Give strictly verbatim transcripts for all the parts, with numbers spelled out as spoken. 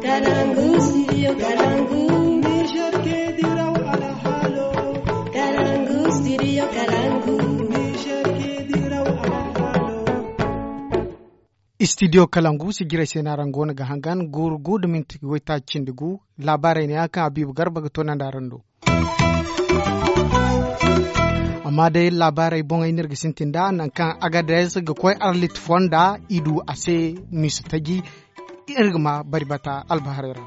Kalangu, studio Kalangu. Niger ke diraw alhalo. Kalangu, studio Kalangu. Niger ke diraw alhalo. Studio Kalangu, sijirey se no araŋ go no ga hangan, guuru gu nda minti waytaaci cindi gu. Laabaarey ne ya kaŋ Habiibu Garba ga toonandi araŋ do. Amma day laabaarey boŋey no iri ga sintin nd'a, nangu kaŋ Agadez ga koy arlit fonda, i du a se miisa taji. Iri ga ma bari bata albaharey ra.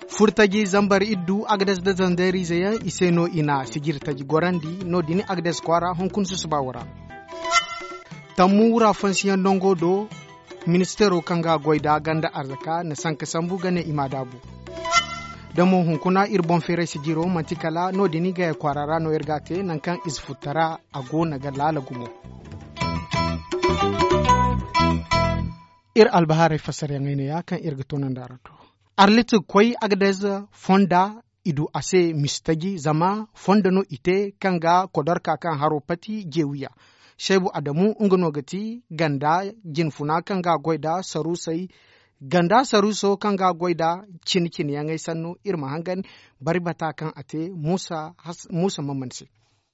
Furtaji zambar iddu Agadez nda Zandeeriize yaŋ, i se no i na sijiri taji gorandi, no-din Agadez kwaara hunkuna susuba wo ra. Tammu wura fansiyaŋ nango do, ministeero kaŋ ga goy nd'a ganda arzaka na sanka sambu ga ne i ma daabu. Da mo hunkuna iri boŋ feeray sijiro, manti kala no-din gaya kwaara ra no iri ga a te, nangu kaŋ ize futtara a go no ga laala gumo. Iri albahaarey fassarayaŋey neeya kaŋ iri ga toonandi araŋ do. Arlit ga koy Agadez fonda, i du a se mistaji, zama fondo no i te kaŋ ga kodorka kaŋ haro pati jeewiya. Seebu Adamu, nga no ga ti ganda jinfuna kaŋ ga goy nda saruusey, ganda saruuso kaŋ ga goy nda cine-cineyaŋey sanno. Iri ma hangan bari bata kaŋ a te Muusa Has-, Muusa Mamman se.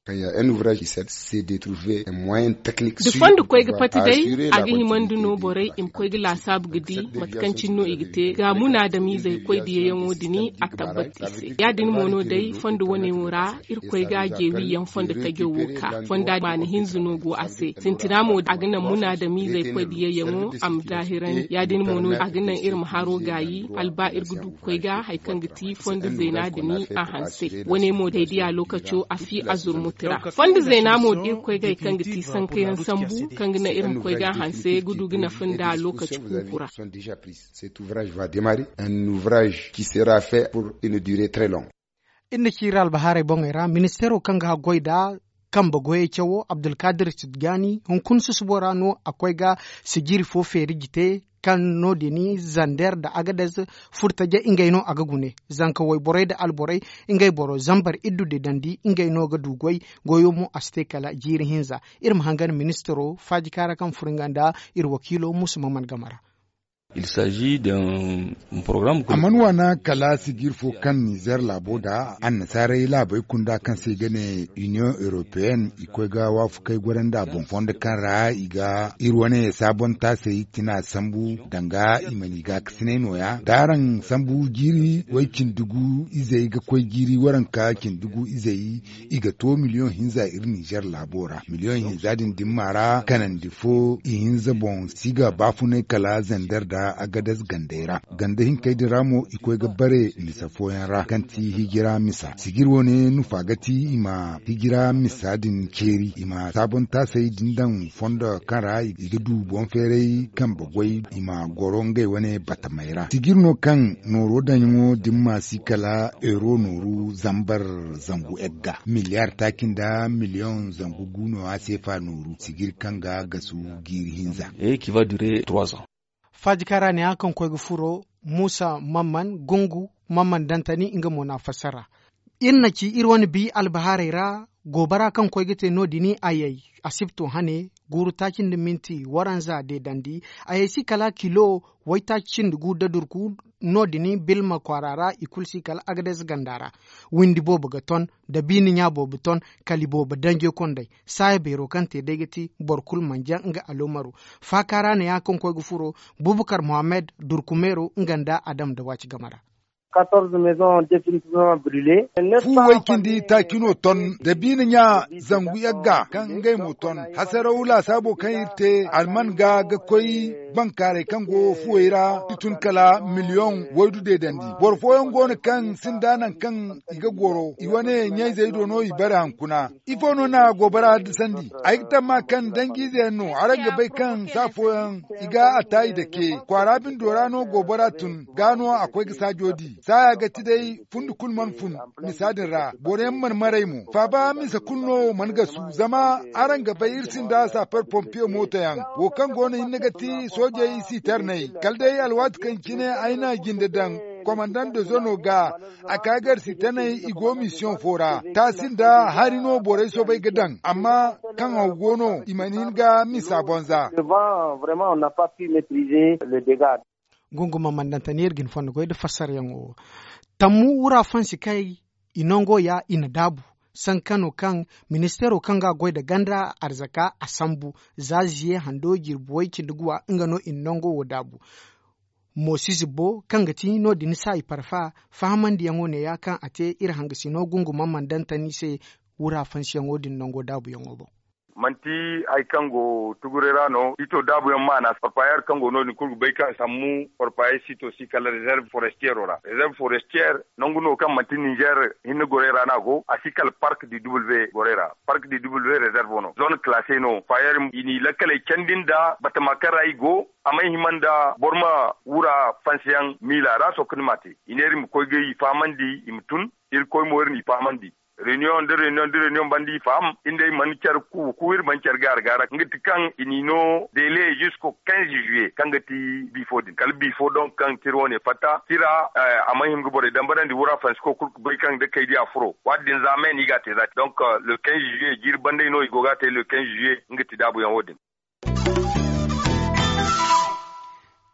Kaŋ ya un ouvrage qui s'est détrouvé un moyen technique da sûr fondo koy ga pati day, a ga himandi no borey i ma koy ga laasaabu ga di mate kaŋ cine no i ga te ga munaadamiizey koy diyayaŋo din a tabbat i se. Ya-din mo no day fondo wane wo ra, Irkoy ga jeewiyaŋ fondo tajo wo ka fonda maana hinza no go a se. Sintina mo a ga naŋ munaadamiizey koy diyayaŋo a ma daahirandi. Ya-din mo no a ga naŋ iri ma haro gaayi, hala ba iri ga du ga koy ga hari kaŋ ga ti fondo zeena din a hanse. Wane mo day diya lookaco a fi a zurmuti ra. Fondo zeena mo da iri koy ga hari kaŋ ga ti sankayaŋ sambu, kaŋ ga naŋ iri ma koy ga hanse ga du ga nafa nda lookaci kuuku ra. Cet ouvrage va démarrer, un ouvrage qui sera fait pour une durée très longue. Iri na ci iri albahaarey boŋey ra, ministeero kaŋ ga goy nda kambe goyey cawo, Abdulkadir Tijjani, hunkuna susubo ra no a koy ga sijiri fo feeri jite, kaŋ no-din Zander nda Agadez furtaje ngey no a ga gune. Zanka wayborey nda alborey, ngey boro zambar iddu deedandi, ngey no ga du goy. Goyo mo a si te kala jiiri hinza. Iri ma hangan ministeero faajika ra kaŋ furo nga nda iri wakiilo Muusa Mamman game ra. Il s'agit d'un programme que a mana wana kala sijir fo kaŋ Nizer laabo da annasaarey laabey kunda kaŋ se i ga ne Union Européenne, i koy ga waafakey goro nd'a boŋ fondo kaŋ ra i ga iri wane saabon taasey tina sambu danga i ma ni gaakasinay nooya. Da araŋ sambu jiiri way cindi gu izey ga koy jiiri waranka cindi gu izey, i ga to miliyoŋ hinza iri Nizer laabo ra. Miliyoŋ hinza din dimma ra kanandi fo ihinza boŋ si ga baafunay kala Zander nda Agadez gandey ra. Ganda hinkey din ra mo i koy ga bare misa fooyaŋ ra kaŋ ti hijira misa. Sijir wane nufa ga ti i ma hijira misa din ceeri, i ma saabon taasey din daŋ fondo kaŋ ra i ga du boŋ feeray kambe goy, i ma goro ngey wane batamey ra. Sijir no kaŋ nooro daŋyaŋo dimma si kala euro nooru zambar zangu egga. Miliyar taaci nda miliyoŋ zangu gu no a seefa nooru sijir kaŋ ga gasu jiiri hinza. Et qui va durer trois ans. Faajika ra ne a kaŋ koy ga furo, Muusa Mamman Gungu, Mamman Dantani, nga mo na a fassara. Iri na ci iri wane bi albahaarey ra, goobara kaŋ koy ga te no-din ayey, asibto hane, guuru taaci nda minti waranza deedandi, ayey si kala kilo waytaaci cindi gu da durku. No-din Bilma kwaara ra, i kulu si kala Agadez ganda ra. Windi boobo ga ton, da biine ɲa boobo ton, kala i boobo danjey kondey. Saaya beero kaŋ te day ga ti boro kulu mana jaŋ nga aloomaro. Faaka ra neeya kaŋ koy ga furo, Bubakar Mohammed, Durkumeero, nga nda Adam Dawaaci game ra. Fu way cindi taaci no ton, da biine ɲa zangu yagga kaŋ ngey mo ton. Hasaraw laasaabo kaŋ iri te alman ga ga koy bankaaray kaŋ go fuwey ra, i tun kala miliyoŋ waydu deedandi. Boro fooyaŋ go no kaŋ sinda nangu kaŋ i ga goro, i wane ɲayzey do no i bare hankuna. Ifo no na goobara sandi? Ay ga tamma kaŋ danjiize yaŋ no, araŋ ga bay kaŋ saa fooyaŋ i ga a ta i dake. Kwaara bindo ra no goobara tun, gaa no a koy ga saajo di. Saaya ga ti day fundi kulu mana fun misa din ra, boro yaŋ mana maray mo. Faaba misa kulu no mana gasu, zama araŋ ga bay iri sinda sapeur pompier mooto yaŋ. Wo kaŋ go no hinne ga ti soojey siterney. Kala day alwaati kaŋ cine ay na jinde daŋ, komandant de zone ga, a ka gar siterney i go misiyoŋ fo ra. Taasi nda hari no borey soobay ga daŋ, amma kaŋ haw go no, i mana hin ga misa bonza. Gunguma mandantani iri ga ni fondo goy nda fassarayaŋo wo. Tammu wura fansi kay i nango ya i na daabu. Sankano kaŋ ministeero kaŋ ga a goy nda ganda arzaka a sambu za ziye hando jirbi way cindi guwa nga no i na nango wo daabu. Moosize bo kaŋ ga ti no- din saayi parfa fahamandiyaŋo neeya kaŋ a te iri hangasino gunguma mandantani se wura fansiyaŋo din nango daabuyaŋo boŋ. Manti hari kaŋ go tuguray ra no ito daabuyaŋ maana parpayer kaŋ go no- din kulu ga bay kaŋ sammu parpayer sito si kala rezerve forestiero ra rezerve forestier nangu no kaŋ manti ninzeer hinne goray ra no a go a si kala park du w goray ra. Park du w rezerve no zone classe no payer i n'i lakkaley candi nda batama kaŋ ra i go a may hima nda boro ma wura fansiyaŋ miila ra sohõ kaŋ ni m'a te i neera i ma koy ga i fahamandi i ma tun. Iri koy mo iri n'i fahamandi reunion nda reunion nda reunion banda i faham iri nda iri mana care kuuku iri mana care gaara gaara nga ti kaŋ i n'i no dele zisko kinze juillet kaŋ ga ti bifo din kala bifo donk kaŋ tira wane fatta tira a mana hima ga borey dambarandi wura fansiko kulu ga bay kaŋ da kay di a furo waati din za me no i ga a te za te donk le kinze juillet jiiri banday no i go ga a te le kinze juillet nga ti daabuyaŋo din.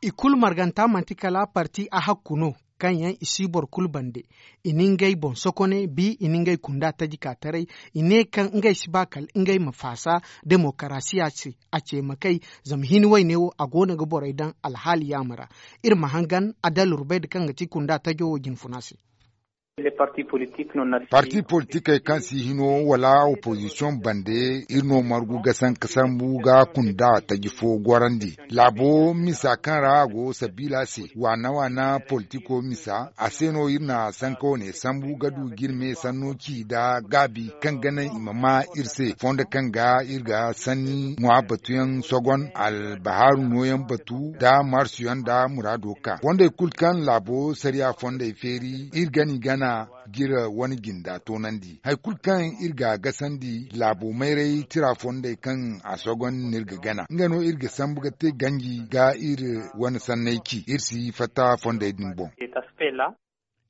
I kulu marganta manti kala parti a hakku no kaŋ yaŋ i si boro kulu bande. I na ngey boŋ sokone bi i na ngey kunda taji ka taray. I ne kaŋ ngey si ba kala ngey ma faasa demokarasiya se a ce ma kay. Zama hini wayne wo a go no ga borey daŋ alhaali yaama ra. Iri ma hangan adalur bay da kaŋ ga ti kunda tajo wo jinfuna se. Parti politikey kaŋ si hino wala opozisiyoŋ bande iri no margu ga sanka sambu ga kunda taji fo gorandi. Laabo misa kaŋ ra a go sabiila se waana waana politiko misa a se no iri na sanka wane sambu ga du ga iri me sanno ci nda gaabi kaŋ ga naŋ i ma ma iri se fondo kaŋ ga iri ga sanni ŋwa batuyaŋ sogon albahaaru nooyaŋ batu nda marsuyaŋ nda muraado ka fondey kulu kaŋ laabo sariya fondey feeri iri gana i gana ga iri wane jinda toonandi hari kulu kaŋ iri ga a gasandi laabo mayray tira fondey kaŋ a sogon no iri ga gana nga no iri ga sambu ga te ganji ga iri wane sanney ci iri si fatta fondey din boŋ.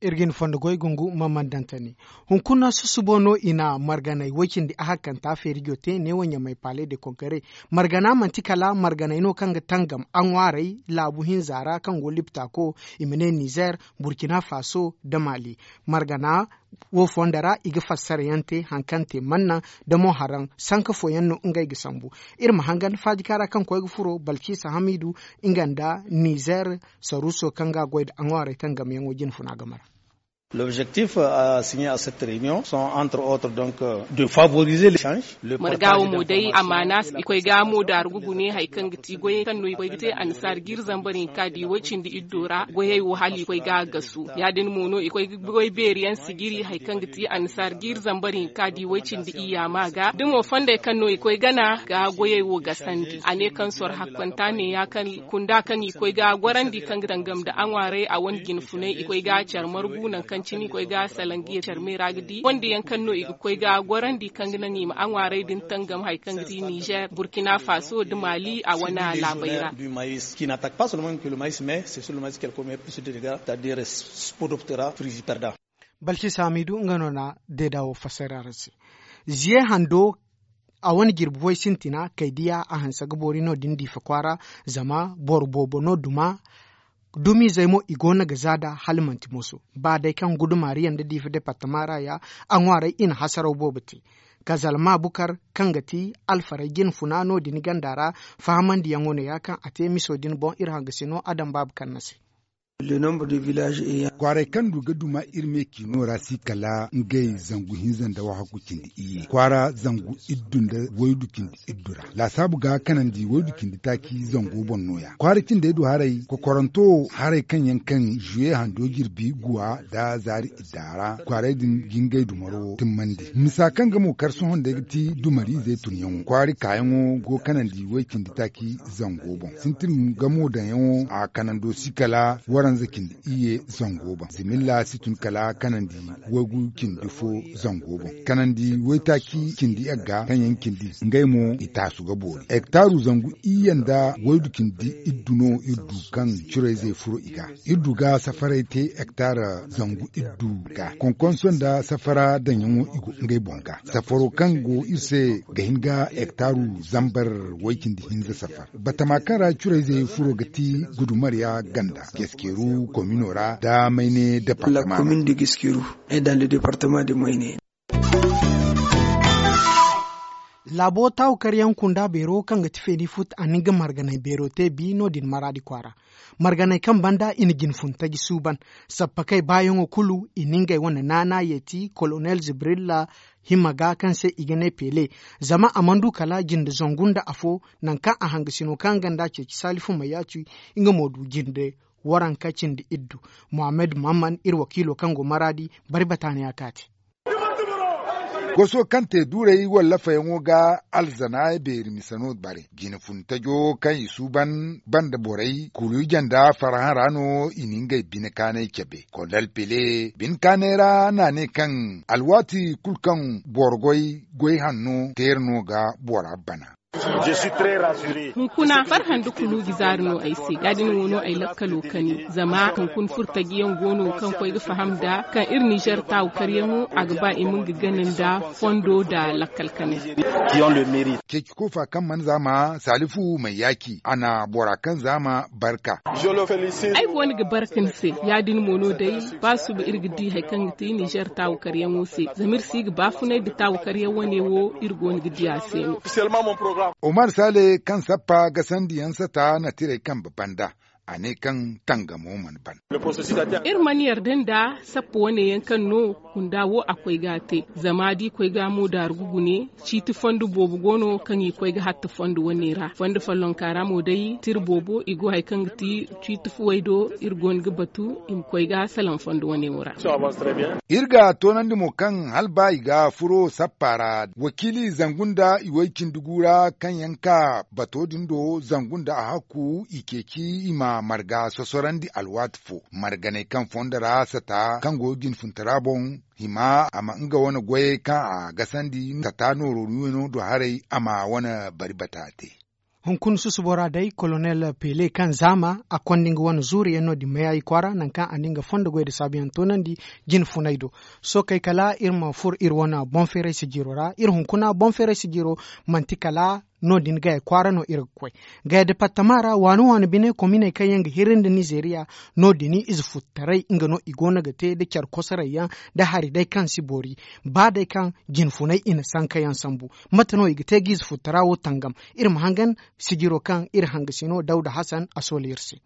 Iri ga ni fondo goy gungu ma mandantani hunkuna susubo no i na marganay way-cindi ahakkanta feerijo te neewo ɲamay palais de conquere. Margana manti kala marganay no kaŋ ga tangam a ŋwaaray laabu hinza ra kaŋ go liptako i ma ne nizer, burkina faso nda mali. Margana wo fondo ra i ga fassara yaŋ te hari kaŋ te manna nda mo haraŋ sanka fooyaŋ no ngey ga sambu. Iri ma hangan faajika ra kaŋ koy ga furo balkisa hamidu nga nda nizer saruso kaŋ ga a goy nda a ŋwaaray tangamyaŋo jinfuna game ra. L'objectif a signé à cette réunion sont entre autres donc de favoriser l'échange. Marga wo mo day amaana i koy ga mo daaru ga gune hari kaŋ ga ti goyey kaŋ no i koy ga te annasaara ga iri zambar hinka di way cindi iddo ra goyey wo hala i koy ga a gasu ya- din mo no i koy ga goy beeri yaŋ sijiri hari kaŋ ga ti annasaara ga iri zambar hinka di way cindi iyya ma ga da mo fondey kaŋ no i koy gana ga goyey wo gasandi a ne kaŋ soro hakkanta ne ya kaŋ kunda kaŋ i koy ga gorandi kaŋ ga tangam nda a ŋwaaray a wane jinfunay i koy ga care margu nangu kaŋ cine i koy ga salaŋ ga ye care me ra ga di wande yaŋ kaŋ no i ga koy ga gorandi kaŋ ga naŋ i ma a ŋwaaray din tangam hari kaŋ ga ti nizer burkina faso nda mali a wane laabey ra. Du maïs qui n'attaque pas seulement que le maïs mais c'est sur le maïs qu'elle commet plus de dégâts c'est à dire spodoptera frugiperda. Balkisa hamidu nga no na deeda wo fassara araŋ se. Ziye hando a wane jirbi way sintina kay diya a hanse ga boori no- din diifa kwaara. Zama boro boobo no duma dumizey mo i go no ga za nd'a hala manti moso ba day kaŋ gudumaariyaŋ nda diifa departama ra ya a ŋwaaray i na hasaraw boobo te. Kazalma bukar kaŋ ga ti alfaray jinfuna no- din ganda ra fahamandiyaŋo no ya kaŋ a te miso din boŋ iri hangasino adam baaba kaŋ na se. Kwaaray kaŋ du ga duma iri me ciino ra si kala ngey zangu hinza nda wahakku cindi iyye kwaara zangu iddu nda waydu cindi iddu ra laasaabu ga kanandi waydu cindi taaci zango boŋ no- ya kwaara cindey du haray kokoranto haray kaŋ yaŋ kaŋ zuye hando jirbi guwa nda zaari idda ra kwaaray din ga ngey dumaro timmandi misa kaŋ ga mo kar sohõ day ga ti dumariizey tunyaŋo kwaari kaayaŋo go kanandi way cindi taaci zango boŋ sintin gamo daŋyaŋo a kanando si kala Kanza cindi iyye zango boŋ zimilla si tun kala kanandi waygu cindi fo zango boŋ kanandi waytaaci cindi yagga kaŋ yaŋ cindi ngey mo i taasu ga boori hektaaru zangu iyye nda waydu cindi iddu no iri du kaŋ curayzey furo i ga iri du ga safaray te hektaara zangu iddu ga konkonso nda safara daŋyaŋo i go ngey boŋ ga safaro kaŋ go iri se ga hin ga hektaaru zambar way cindi hinza safar batama kaŋ ra curayzey furo ga ti gudumarya ganda geskeru komino ra da mayne departama ra. Laabo taawukaryaŋ kunda beero kaŋ ga ti feeni fut a na nga marganay beero te bi no- din maraadi kwaara marganay kaŋ banda i na jinfun taji suuban sappakey baayaŋo kulu i na ngey wane naana yeeti kolonel zibrilla hima ga kaŋ se i ga ne pele zama a mana du kala jinde zangu nda afo nangu kaŋ a hangasino kaŋ ganda ceeci salifu mayaaci nga mo du jinde waranka cindi iddu. Muhammad mamman iri wakiilo kaŋ go maraadi bari bataaniya kaati. Goso kaŋ te duurey wallafayaŋo ga alzana beeri mise no bare jine funtajo kaŋ i suuban banda borey kulu ije nda farhã ra no i na ngey bine kaanay cabe kolonel pele bine kaanay ra n'a ne kaŋ alwaati kulu kaŋ boro goy goy hanno teera no ga bora bana. Hunkuna farhã nda kulu ga zaari no ay se ya- din wo no ay lakkalo kani zama hunkuna furtajiyaŋ go no kaŋ koy ga faham nd'a kaŋ iri nizer taawu karyaŋo a ga ba i ma nga gana nda fondo nda lakkal kanay. Ceeci koofa kaŋ mana zaama salifu may yaaci a na bora kaŋ zaama barka. Ay go no ga barka ni se ya- din mo no day ba suba iri ga di hari kaŋ ga ti nizer taawu karyaŋo se zama iri si ga baafunay nda taawu karyaŋ wane wo iri go no ga di a se no. Omar sale kaŋ sappa gasandi yaŋ sata na tirey kambe banda a ne kaŋ tangamo mana ban. Iri mana yarda nda sappa wane yaŋ kaŋ no kunda wo a koy ga a te zama da i koy ga a mo daaru ga gune ciiti fondo boobo go no kaŋ i koy ga hatta fondo wane ra fondo follonka ra mo day tira boobo i go hari kaŋ ga ti ciiti fuwey do iri go no ga batu i ma koy ga salaŋ fondo wane wo ra. Iri ga toonandi mo kaŋ hala ba i ga furo sappa ra wakiili zangu nda i way cindi gu ra kaŋ yaŋ ka bato din do zangu nda a hakku i ceeci i ma marga sosorandi alwaati fo marganay kaŋ fondo ra sata kaŋ go jinfuntara boŋ hima a ma nga wane goyey kaŋ a gasandi sata nooro no do haray a ma wane bari bata te. Hunkuna susubo ra day kolonel pele kaŋ zaama a konda nga wane zuuriyaŋ no- din mayaayi kwaara nangu kaŋ a na nga fondo goy nda saabuyaŋ toonandi jine funay do. Sookey kala iri ma furo iri wane boŋ feeray sijiro ra iri hunkuna boŋ feeray sijiro manti kala no- din gaya kwaara no iri ga koy. Gaya departama ra waani waani bine kominey kaŋ yaŋ ga hirri nda nizeeriya no- din ize futtaray nga no i go no ga te nda care kosoray yaŋ nda hari day kaŋ si boori ba day kaŋ jinfunay i na sanka yaŋ sambu. Mate no i ga te ga ize futtara wo tangam? Iri ma hangan sijiro kaŋ iri hangasino dawda hasan a sooli iri se.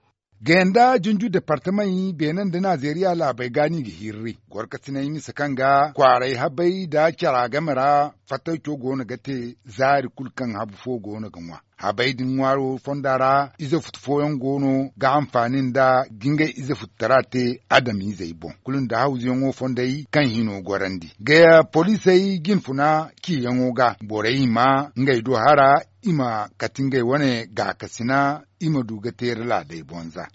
Gaya nda junju departamey beene nda nazeeriya laabey ga no i ga hirri gorkasiney mise kaŋ ga kwaaray habey nda cara game ra fattayco go no ga te zaari kulu kaŋ habu fo go no ga ŋwa. Habey din ŋwaaro fonda ra ize futu fooyaŋ go no ga hanfaani nda ga ngey ize futtara te adamizey boŋ kulu nda hawzuyaŋo fondey kaŋ hino gorandi gaya poliisey jinfuna ciyaŋo ga borey hima ngey do hara i ma kati ngey wane gaakasina i ma du ga teeri laadey bonza.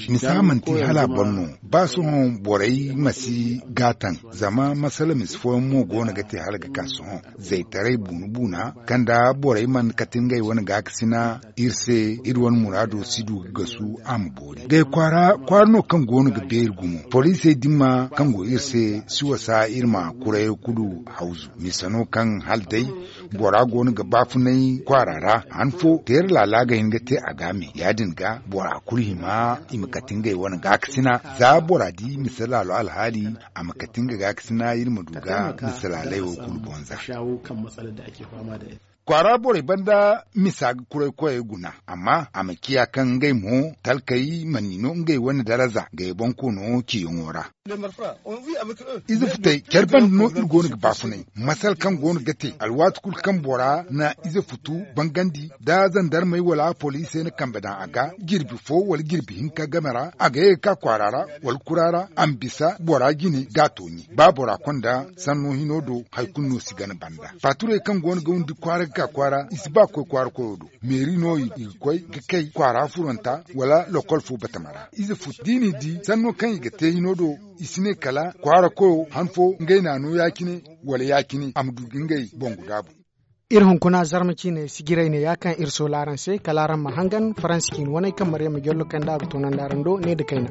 Misa manti hala a boro no ba sohõ borey ma si gaatan zama masala misi fooyaŋ mo go no ga te hala ga ka sohõ zaytaray buuna buuna kaŋ da borey mana kati ngey wane gaakasina iri se iri wane muraado si du ga gasu a ma boori gay kwaara kwaara no kaŋ go no ga beeri gumo poliisey dimma kaŋ go iri se si wasa iri ma kurayo kulu hawzu misa no kaŋ hala day bora go no ga baafunay kwaara ra han fo teera laala ga hin ga te a ga me ya- din ga bora kulu hima i ma kati ngey wane gaakasina za bora di misa laalo alhaali a ma kati nga gaakasina iri ma du ga misa laaley wo kulu bonza. Kwaara borey banda misa ga kuray koyey guna amma a ma ciya kaŋ ngey mo talkey mana ni no ngey wane daraza gay boŋ koono ciyaŋo ra. Ize futey care banda no iri go no ga baafunay masal kaŋ go no ga te alwaati kulu kaŋ bora na ize futu bangandi da zandarmey wala poliisey na kambe daŋ a ga jirbi fo wala jirbi hinka game ra a ga ye ga ka kwaara ra wala kura ra a ma bisa bora jine ga a tooɲe ba bora konda sanno hino do hari kulu no si gana banda faaturey kaŋ go no ga windi kwaara ga ka kwaara i si ba ga koy kwaara koyo do. Meeri no i ga koy ga kay kwaara furanta wala lokol fo batama ra ize fut da i n'i di sanno kaŋ i ga te hino do. I si ne kala kwaara koyo han fo ngey n'a no ya- cine wala ya- cine a ma du ga ngey boŋ ga daabu. Iri hunkuna zarma ciine sijiray ne ya kaŋ iri soola araŋ se kala araŋ ma hangan faransa ciine waney kaŋ maryama jollo kanda a ga toonandi araŋ do ne nda kayna.